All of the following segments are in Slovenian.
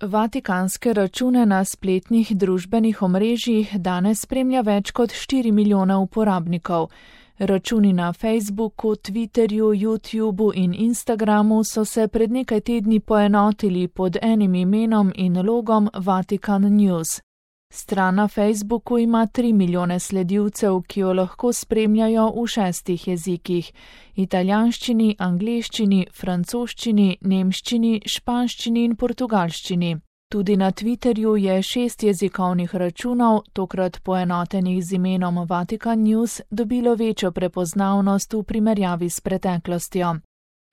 Vatikanske račune na spletnih družbenih omrežjih danes spremlja več kot 4 milijona uporabnikov. Računi na Facebooku, Twitterju, YouTubu in Instagramu so se pred nekaj tedni poenotili pod enim imenom in logom Vatikan News. Stran na Facebooku ima 3 milijone sledilcev, ki jo lahko spremljajo v 6 jezikih: italijanščini, angleščini, francoščini, nemščini, španščini in portugalščini. Tudi na Twitterju je 6 jezikovnih računov, tokrat poenotenih z imenom Vatikan News, dobilo večjo prepoznavnost v primerjavi s preteklostjo.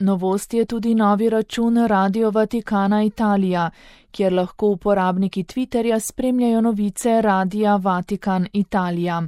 Novost je tudi novi račun Radio Vaticana Italija, kjer lahko uporabniki Twitterja spremljajo novice Radia Vatikan Italija.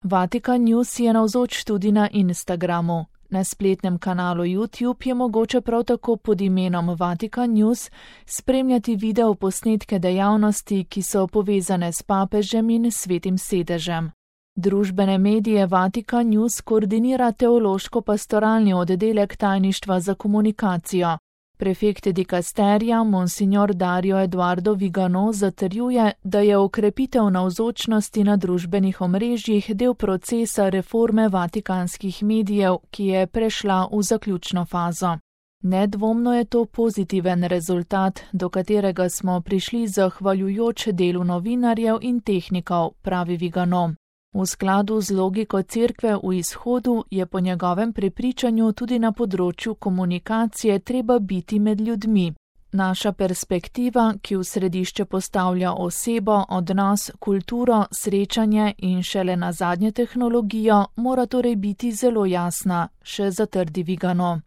Vatikan News je navzoč tudi na Instagramu. Na spletnem kanalu YouTube je mogoče prav tako pod imenom Vatikan News spremljati video posnetke dejavnosti, ki so povezane s papežem in svetim sedežem. Družbene medije Vatikan News koordinira teološko-pastoralni oddelek tajništva za komunikacijo. Prefekt dikasterija Monsignor Dario Eduardo Vigano zatrjuje, da je okrepitev navzočnosti na družbenih omrežjih del procesa reforme vatikanskih medijev, ki je prešla v zaključno fazo. Nedvomno je to pozitiven rezultat, do katerega smo prišli zahvaljujoč delu novinarjev in tehnikov, pravi Vigano. V skladu z logiko Cerkve v izhodu je po njegovem prepričanju tudi na področju komunikacije treba biti med ljudmi. Naša perspektiva, ki v središče postavlja osebo, odnos, kulturo, srečanje in šele nazadnje tehnologijo, mora torej biti zelo jasna, še zatrdi Vigano.